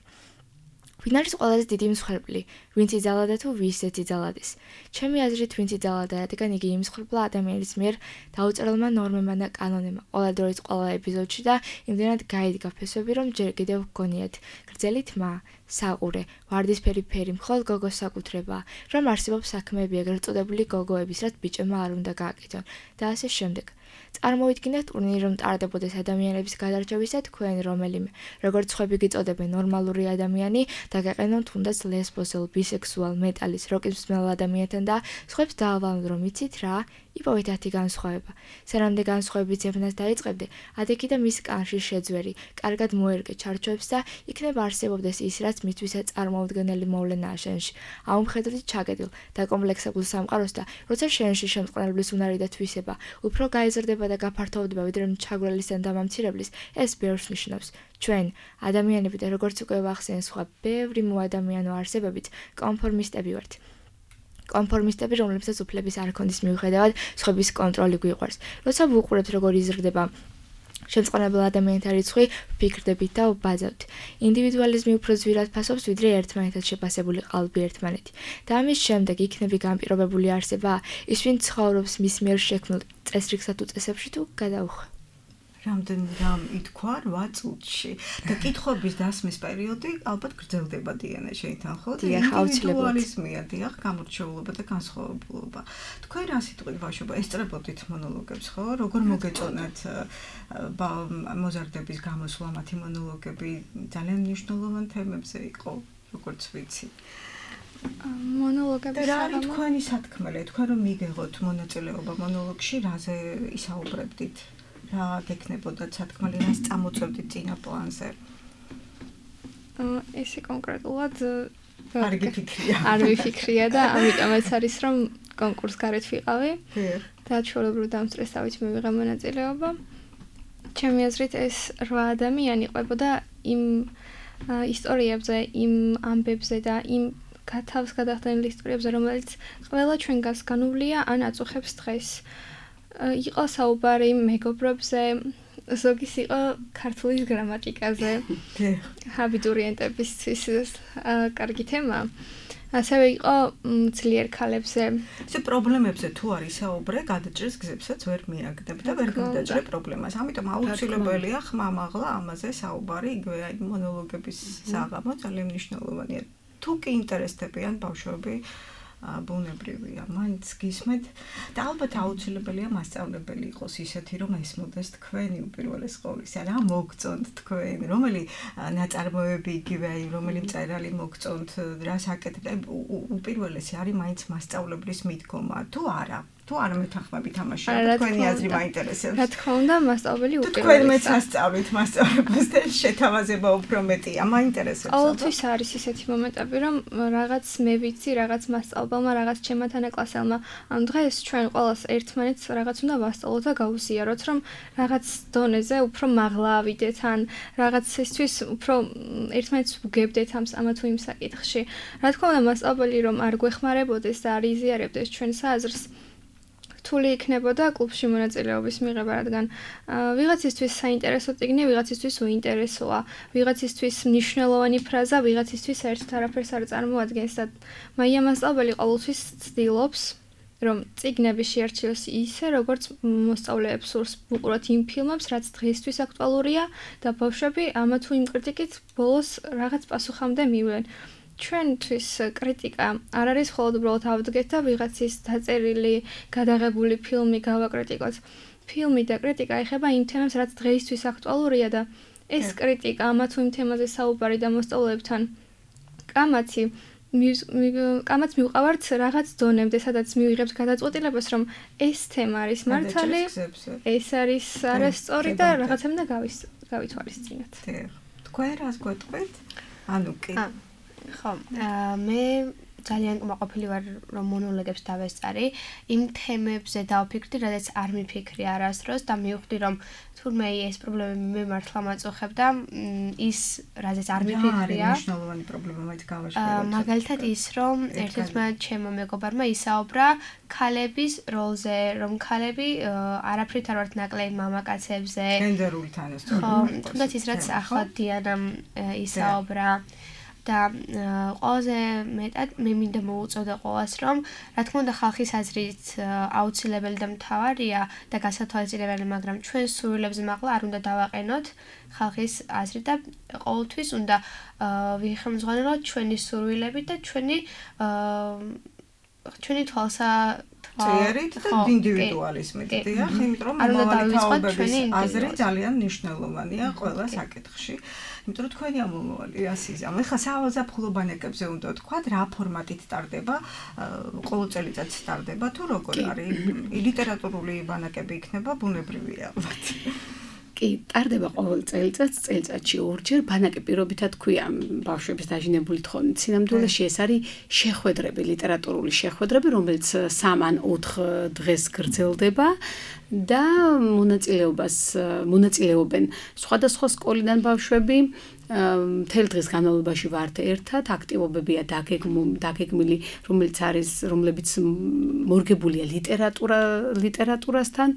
ვინ არის ყველაზე დიდი მსხვერპლი, ვინც იძალა თუ ვისაც იძალადეს. ჩემი აზრით, ვინც იძალა, რადგან იგი იმსხვერპლა ადამიანის მიერ დაუწერელმა ნორმებმა და კანონებმა, ყველა დროის ყველა ეპიზოდში და იმდენად გაიდგა ფესვები, რომ ჯერ კიდევ გგონიათ, გრძელი თმა, საყურე, ვარდისფერი ფერი, მხოლოდ გოგოს საკუთრება, რომ არსებობს საქმეები ეგრეთ წოდებული გოგოების, რაც ბიჭებმა არ უნდა გააკეთონ და ასე შემდეგ. წარმოვიდგინეთ ტურნირი, რომ ტარდებოდეს ადამიანების გადარჩევისა თქვენ რომელიმე, როგორც სხვები გიწოდებენ ნორმალური ადამიანი და გაყენონ თუნდაც ლესბოსელ, ბისექსუალ, მეტალის, როკის მსმენელ ადამიანთან და სხვებს დაავალონ, რომ იცით რა, იპოვეთ ათი განსხვავება. სანამდე განსხვავების ძებნას დაიწყებდე, ადექი და მის კანში შეძვერი, კარგად მოერგე ჩარჩოებს და იქნება არსებობდეს ის, რაც მითვისაც წარმოუდგენელი მოვლენაა შენში. აუმხედრდი ჩაგედილ და კომპლექსებულ სამყაროს და როცა შენში შემწყნარებლის უნარი და თვისება უფრო გაიზრდება და გაფართოვდება ვიდრე ჩაგვრელის ან დამამცირებლის, ეს ბევრს ნიშნავს. ჩვენ, ადამიანები და როგორც უკვე ვახსენე სხვა ბევრი მოადამიანო არსებებიც კონფორმისტები ვართ. კონფორმისტები, რომლებსაც უფლების არ ქონდის მიუხედავად სხვების კონტროლი გვიყვარს. როცა ვუყურებთ, როგორ იზრდება შემწყნარებელ ადამიანთა რიცხვი, ვფიქრდებით და ვბაძავთ. ინდივიდუალიზმი უფრო ძვირად ფასობს, ვიდრე ერთმანეთად შეფასებული ყალბი ერთმანეთი. და ამის შემდეგ იქნები განპირობებული არსება, ის ვინ ცხოვრობს მის მიერ შექმნილ წესრიგსა თუ წესებში თუ გადაუხვა. რამდენი რამ ითქვა რვა წუთში და კითხების დასმის პერიოდი ალბათ გრძელდება დიანა შეითან ხო? ინდივიდუალიზმია, დიახ, გამორჩეულობა და განსხვავებულობა. თქვენ რა სიტყვით ბავშვობა ესწრებოდით მონოლოგებს ხო? როგორ მოგეწონათ მოზარდების გამოსვლა მათი მონოლოგები ძალიან მნიშვნელოვან თემებზე იყო, როგორც ვიცი. მონოლოგები რა არის თქვენი სათქმელი? თქვენ რომ მიგეღოთ მონაწილეობა მონოლოგში, რაზე ისაუბრებდით? რა გექნებოდა სათქმელი, რას წამოწევდით წინა პლანზე? ესე კონკრეტულად არ გიფიქრია. არ ვიფიქრია და ამიტომაც არის რომ კონკურს გარეთ ვიყავი. და ჩვეულებრივ დამსწრესავით მივიღე მონაწილეობა. ჩემი აზრით ეს რვა ადამიანი ყვებოდა იმ ისტორიებზე, იმ ამბებზე და იმ თავს გადახდენილ ისტორიებზე, რომელიც ყველა ჩვენგანს განუვლია ან აწუხებს დღეს. იყო საუბარი მეგობრებზე, ზოგის იყო ქართულის გრამატიკაზე, აბიტურიენტებისთვის კარგი თემა. ასევე იყო ძლიერ ქალებზე. ესე პრობლემებზე თუ არის საუბრე, გადაჭრის გზებსაც ვერ მიაგდებ და ვერ გადაჭრე პრობლემას. ამიტომ აუცილებელია ხმამაღლა ამაზე საუბარი, იგივე აი მონოლოგების საღამო ძალიან მნიშვნელოვანია. თუ კი ინტერესდებიან ბავშვები ბუნებრივია, მაინც გისმენთ და ალბათ აუცილებელია მასწავლებელი იყოს ისეთი, რომ ესმოდეს თქვენი უპირველეს ყოვლისა, რა მოგწონთ თქვენ, რომელი ნაწარმოები იგივე, აი რომელი მწერალი მოგწონთ, რას აკეთებთ, უპირველესი არის მაინც მასწავლებლის მიდგომა, თუ არა. თუ არ მეთანხმებით ამაში, თქვენი აზრი მაინტერესებს. რა თქმა უნდა, მასწავლებელი უპირველესია. თქვენ მეც ასწავლით მასწავლებას და შეთავაზება უფრო მეტია, მაინტერესებს. ყოველთვის არის ისეთი მომენტები, რომ რაღაც მე ვიცი, რაღაც მასწავლებელმა, რაღაც ჩემმა თანაკლასელმა, ამ დღეს ჩვენ ყველას ერთმანეთს რაღაც უნდა ვასწავლოთ და გავუზიაროთ, რომ რაღაც დონეზე უფრო მაღლა ავიდეთ, ან რაღაცისთვის უფრო ერთმანეთს ვუგებდეთ ამ ამა თუ იმ საკითხში. რა თქმა უნდა, მასწავლებელი რომ არ გვეხმარებოდეს და არ იზიარებდეს ჩვენს აზრს, რთული იქნებოდა კლუბში მონაწილეობის მიღება, რადგან ვიღაცისთვის საინტერესო წიგნი, ვიღაცისთვის უინტერესოა, ვიღაცისთვის მნიშვნელოვანი ფრაზა, ვიღაცისთვის საერთოდ არაფერს არ წარმოადგენს და მაია მასწავლებელი ყოველთვის ცდილობს რომ წიგნები შეარჩიოს ისე, როგორც მოსწავლეებს სურს უყუროთ იმ ფილმებს, რაც დღეისთვის აქტუალურია და ბავშვები ამა თუ იმ კრიტიკით ბოლოს რაღაც პასუხამდე მივლენ. ჩვენთვის კრიტიკა არ არის მხოლოდ უბრალოდ ავდგეთ და ვიღაცის დაწერილი, გადაღებული ფილმი გავაკრიტიკოთ. ფილმი და კრიტიკა ეხება იმ თემებს, რაც დღეისთვის აქტუალურია და ეს კრიტიკა ამა თუ იმ თემაზე საუბარი და მოსწავლეებთან კამათი კამაც მივყავართ რაღაც დონემდე, სადაც მივიღებთ გადაწყვეტილებას, რომ ეს თემა არის მართალი, ეს არის არასწორი და რაღაცამდე გავითვალისწინოთ. თქვენ რას გვეტყვით? ანუ კი. ხო, მე ძალიან კმაყოფილი ვარ, რომ მონოლოგებს დავესწარი. იმ თემებზე დავფიქრდი, რადგან არ მიფიქრი არასდროს და მივხვდი, რომ თურმე ეს პრობლემები მე მართლა მაწუხებდა, ის რაზეც არ მიფიქრია. რა არის მნიშვნელოვანი პრობლემა მაინც გავაშკარო. მაგალითად ის, რომ ერთ-ერთმა ჩემო მეგობარმა ისაუბრა ქალების როლზე, რომ ქალები არაფრით არ ვართ ნაკლები მამაკაცებზე. გენდერული თანასწორობა. ხო, თუნდაც ის რაც ახლა დიანამ ისაუბრა და ყველაზე მეტად მე მინდა მოუწოდე ყოველას, რომ რა თქმა უნდა ხალხის აზრით აუცილებელი და მთავარია და გასათვალისწინებელი, მაგრამ ჩვენ სურვილებზე მაღლა არ უნდა დავაყენოთ ხალხის აზრი და ყოველთვის უნდა ვიხმძღვანელოთ ჩვენი სურვილები და ჩვენი ჩვენი თვალსა წერით და ინდივიდუალიზმით, დიახ, იმიტომ რომ მომავალთაობების აზრი ძალიან მნიშვნელოვანია ყველა საკითხში. იმიტომ რომ თქვენი ამომავალი ასიზამ. ეხლა საზაფხულო ბანაკებზე უნდა ვთქვათ, რა ფორმატით ტარდება, ყოველ წელიწადს ტარდება თუ როგორ არის? ლიტერატურული ბანაკები იქნება, ბუნებრივია ალბათ. კი, ტარდება ყოველ წელიწადს, წელიწადში ორჯერ, ბანაკი პირობითად ქვია ბავშვების დაჟინებული თხოვნით. სინამდვილეში ეს არის შეხვედრები, ლიტერატურული შეხვედრები, რომელიც სამ ან ოთხ დღეს გრძელდება და მონაწილეობას მონაწილეობენ სხვადასხვა სკოლიდან ბავშვები. მთელ დღის განმავლობაში ვართ ერთად, აქტივობებია დაგეგმილი, რომელიც არის, რომლებიც მორგებულია ლიტერატურა, ლიტერატურასთან,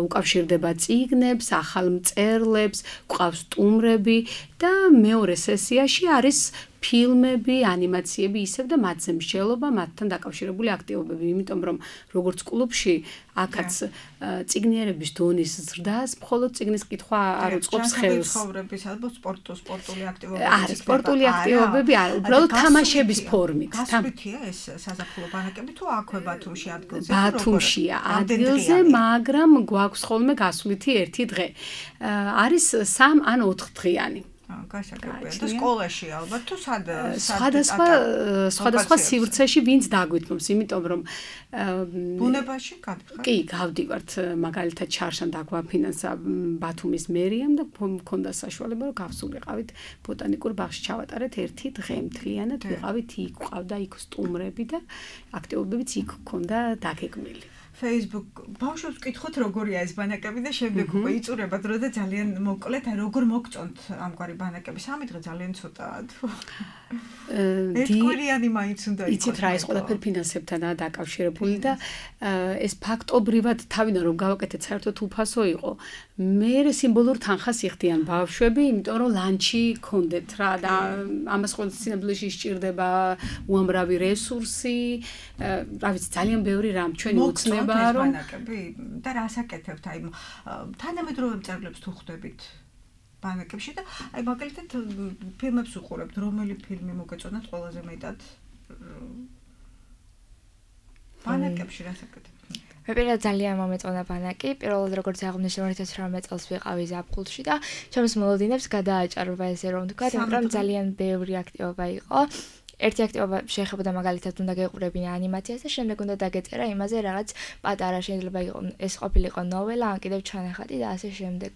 უკავშირდება წიგნებს, ახალ მწერლებს, გვყავს სტუმრები და მეორე სესიაში არის ფილმები, ანიმაციები, ისევ და მათზე მსჯელობა, მათთან დაკავშირებული აქტივობები, იმიტომ რომ როგორც კლუბში აქაც წიგნიერების დონის ზრდას, მხოლოდ წიგნის კითხვა არ უწყობს ხელს. ცხოვრების ალბო სპორტო, სპორტული აქტივობები. არა, სპორტული აქტივობები არა, უბრალოდ თამაშების ფორმით. გასვლითია ეს საზაფხულო ბანაკები თუ აქვე ბათუმში ადგილზე? ბათუმშია ადგილზე, მაგრამ გვაქვს ხოლმე გასვლითი ერთი დღე. არის სამ ან ოთხ დღიანი. გასაგებია და სკოლაში ალბათ თუ სად სხვადასხვა სხვადასხვა სივრცეში ვინც დაგვითმობს, იმიტომ რომ ბუნებაში გადიხარ? კი, გავდივართ, მაგალითად ჩარშან დაგვაფინანსა ბათუმის მერიამ და მქონდა საშუალება რომ გავსულიყავით ბოტანიკურ ბაღში ჩავატარეთ ერთი დღე მთლიანად, ვიყავით იქ, ყავდა იქ სტუმრები და აქტივობებიც იქ ქონდა დაგეგმილი. Facebook ბავშვებს ვკითხოთ როგორია ეს ბანაკები და შემდეგ უკვე იწურება დრო და ძალიან მოკლედ როგორ მოგწონთ ამგვარი ბანაკები. სამი დღე ძალიან ცოტაა თუ ერთკვირიანი მაინც უნდა იყოს. იცით რა, ეს ყველაფერი ფინანსებთანაა დაკავშირებული და ეს ფაქტობრივად თავიდან რომ გავაკეთეთ საერთოდ უფასო იყო. მერე სიმბოლურ თანხას იხდიან ბავშვები, იმიტომ რომ ლანჩი ქონდეთ რა და ამას ყოველ სინამდვილეში სჭირდება უამრავი რესურსი, რა ვიცი, ძალიან ბევრი რამ ჩვენი უცნება ბანაკები და რას აკეთებთ? აი თანამედროვე მწერლებს თუ ხვდებით ბანაკებში და აი მაგალითად ფილმებს უყურებთ, რომელი ფილმი მოგეწონათ ყველაზე მეტად? ბანაკებში რას აკეთებთ? მე პირადად ძალიან მომეწონა ბანაკი. პირველად როგორც აღნიშნე ორი ათას ოცდაათი წელს ვიყავი ზაფხულში და ჩემს მოლოდინებს გადააჭარბა ესე რომ ვთქვა, მაგრამ ძალიან ბევრი აქტივობა იყო. ერთი აქტივობა შეეხებოდა მაგალითად უნდა გეყურებინა ანიმაციას და შემდეგ უნდა დაგეწერა იმაზე რაღაც პატარა, შეიძლება იყო ეს ყოფილიყო ნოველა, ან კიდევ ჩანახატი და ასე შემდეგ.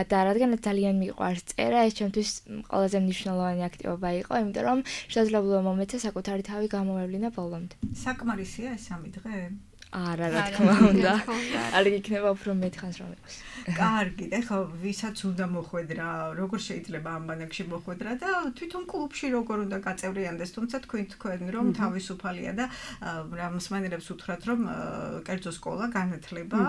და რადგან ძალიან მიყვარს წერა, ეს ჩემთვის ყველაზე მნიშვნელოვანი აქტივობა იყო, იმიტომ რომ შესაძლებლობა მომეცა საკუთარი თავი გამოვევლინა ბოლომდე. საკმარისია ეს სამი დღე? არა, რა თქმა უნდა. არ იქნება უფრო მეტხანს რომ იყოს. კარგი, ეხლა ვისაც უნდა მოხვედრა, როგორ შეიძლება ამ ბანაკში მოხვედრა და თვითონ კლუბში როგორ უნდა გაწევრიანდეს, თუმცა თქვენ თქვენ რომ თავისუფალია და რა მსმენელებს უთხრათ რომ კერძო სკოლა განათლება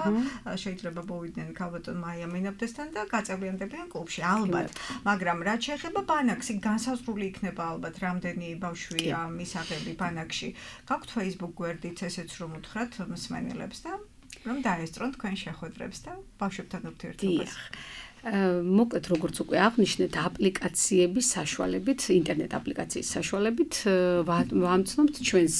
შეიძლება მოვიდნენ ქალბატონ მაია მენაბდესთან და გაწევრიანდებიან კლუბში ალბათ, მაგრამ რაც შეეხება ბანაკს, განსაზღვრული იქნება ალბათ რამდენი ბავშვია მისაღები ბანაკში. გაქვთ Facebook გვერდიც ესეც რომ უთხრათ მსმენელებს და რომ დაესწრონ თქვენ შეხვედრებს და ბავშვებთან ურთიერთობას. მოკლედ როგორც უკვე აღნიშნეთ, აპლიკაციების საშუალებით, ინტერნეტ აპლიკაციის საშუალებით ვამცნობთ ჩვენს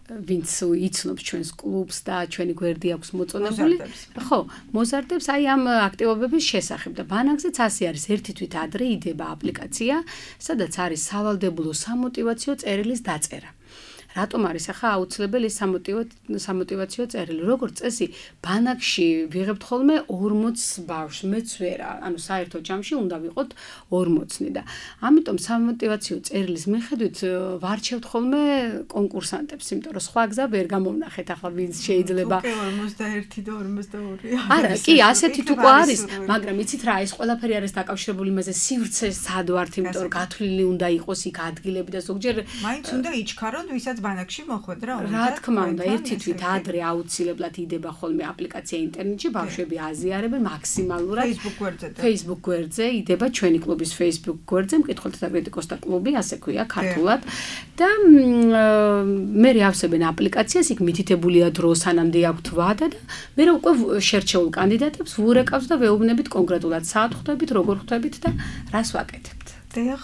ვინც იცნობს ჩვენს კლუბს და ჩვენი გვერდი აქვს მოწონებული. ხო, მოზარდებს აი ამ აქტივობების შესახებ და ბანაკზეც ასე არის. ერთი თვით ადრე იდება აპლიკაცია, სადაც არის სავალდებულო სამოტივაციო წერილის დაწერა. რატომ არის ახლა აუცილებელი სამოტივაციო წერილი? როგორც წესი, ბანაკში ვიღებთ ხოლმე ორმოც ბავშვს, მეც ვერა, ანუ საერთო ჯამში უნდა ვიყოთ ორმოცნი და ამიტომ სამოტივაციო წერილის მიხედვით ვარჩევთ ხოლმე კონკურსანტებს, იმიტომ რომ სხვა გზა ვერ გამოვნახეთ ახლა ვინც შეიძლება. უკვე ორმოცდაერთი და ორმოცდაორი. არა, კი, ასეთით უკვე არის, მაგრამ იცით რა, ეს ყველაფერი არის დაკავშირებული იმაზე, სივრცე სად ვართ, იმიტომ რომ გათვლილი უნდა იყოს იქ ადგილები და ზოგჯერ მაინც უნდა იჩქაროთ, ვისაც ბანაკში მოხვედრა უნდა. რა თქმა უნდა, ერთი თვით ადრე აუცილებლად იდება ხოლმე აპლიკაცია ინტერნეტში, ბავშვები აზიარებენ მაქსიმალურად. Facebook გვერდზე. Facebook გვერდზე იდება ჩვენი კლუბის Facebook გვერდზე, მკითხველთა და კრიტიკოსთა კლუბი, ასე ქვია ქართულად. და მე ავსებენ აპლიკაციას, იქ მითითებულია დრო, სანამდე აქვთ ვადა და მე უკვე შერჩეულ კანდიდატებს ვურეკავს და ვეუბნებით კონკრეტულად საათ ხვდებით, როგორ ხვდებით და რას ვაკეთებთ. დიახ,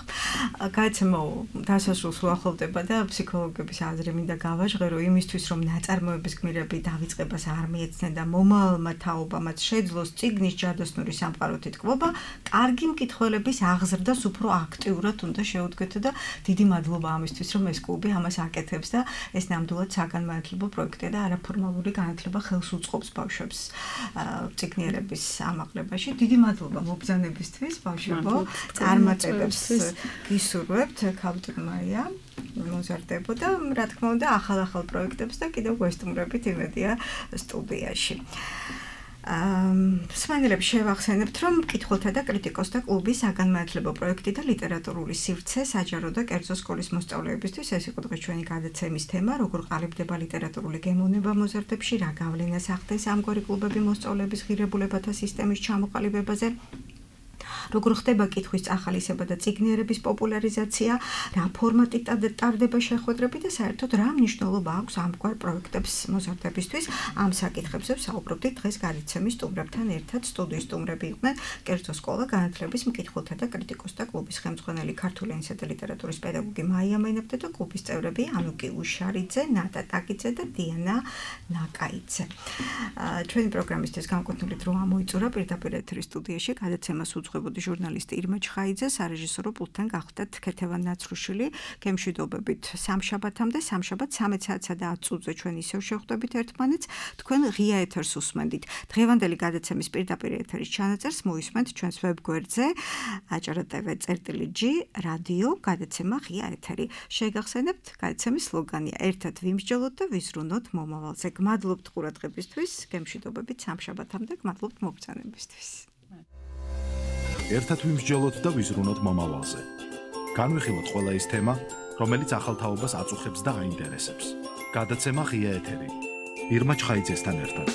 გაიცემო დასასრულს უახლოვდება და ფსიქოლოგების აზრი მინდა გავაჟღერო იმისთვის, რომ ნაწარმოების გმირები დავიწყებას არ მიეცნენ და მომავალმა თაობამაც შეძლოს წიგნის ჯადოსნური სამყაროთი თქმობა, კარგი მკითხველების აღზრდას უფრო აქტიურად უნდა შეუდგეთ და დიდი მადლობა ამისთვის, რომ ეს კლუბი ამას აკეთებს და ეს ნამდვილად საგანმანათლებლო პროექტია და არაფორმალური განათლება ხელს უწყობს ბავშვებს წიგნიერების ამაღლებაში. დიდი მადლობა მობრძანებისთვის, ბავშვებო, წარმატებებს გისურვებთ, ქალბატონ მაია, მოზარდებო და რა თქმა უნდა ახალ-ახალ პროექტებს და კიდევ გვესტუმრებით იმედია სტუდიაში. მსმენელებს შევახსენებთ, რომ მკითხველთა და კრიტიკოსთა კლუბის საგანმანათლებლო პროექტი და ლიტერატურული სივრცე საჯარო და კერძო სკოლის მოსწავლეებისთვის ეს იყო დღეს ჩვენი გადაცემის თემა, როგორ ყალიბდება ლიტერატურული გემოვნება მოზარდებში, რა გავლენას ახდენს ამგვარი კლუბები მოსწავლეების ღირებულებათა სისტემის ჩამოყალიბებაზე. როგორ ხდება კითხვის წახალისება და წიგნიერების პოპულარიზაცია, რა ფორმატით ტარდება შეხვედრები და საერთოდ რა მნიშვნელობა აქვს ამგვარ პროექტებს მოზარდებისთვის. ამ საკითხებზე ვსაუბრობდით დღეს გადაცემის სტუმრებთან ერთად. სტუდიის სტუმრები იყვნენ კერძო სკოლა განათლების მკითხველთა და კრიტიკოსთა კლუბის ხელმძღვანელი ქართული ენისა და ლიტერატურის პედაგოგი მაია მენაბდე და კლუბის წევრები ანუკი უშარიძე, ნატა ტაკიძე და დიანა ნაკაიძე. ჩვენი პროგრამისთვის განკუთვნილი დრო ამოიწურა პირდაპირ ეთერის სტუდიაში გადაცემას უძღვებოდი ჟურნალისტი ირმა ჩხაიძე, სარეჟისორო პულტთან გახდათ ქეთევან ნაცრუშვილი. გემშვიდობებით სამშაბათამდე, სამშაბათ სამეც საათსა და ათ წუთზე ჩვენ ისევ შევხვდებით ერთმანეთს. თქვენ ღია ეთერს უსმენდით. დღევანდელი გადაცემის პირდაპირ ეთერის ჩანაწერს მოისმენთ ჩვენს ვებგვერდზე აჭარა ტევ წერტილი ჯი რადიო გადაცემა ღია ეთერი. შეგახსენებთ, გადაცემის სლოგანია ერთად ვიმსჯელოთ და ვიზრუნოთ მომავალზე. გმადლობთ ყურადღებისთვის, გემშვიდობებით სამშაბათამდე, გმადლობთ მობრძანებისთვის. ერთად ვიმსჯელოთ და ვიზრუნოთ მომავალზე. განვიხილოთ ყველა ის თემა, რომელიც ახალ თაობას აწუხებს და აინტერესებს. გადაცემა ღია ეთერი. ირმა ჩხაიძესთან ერთად.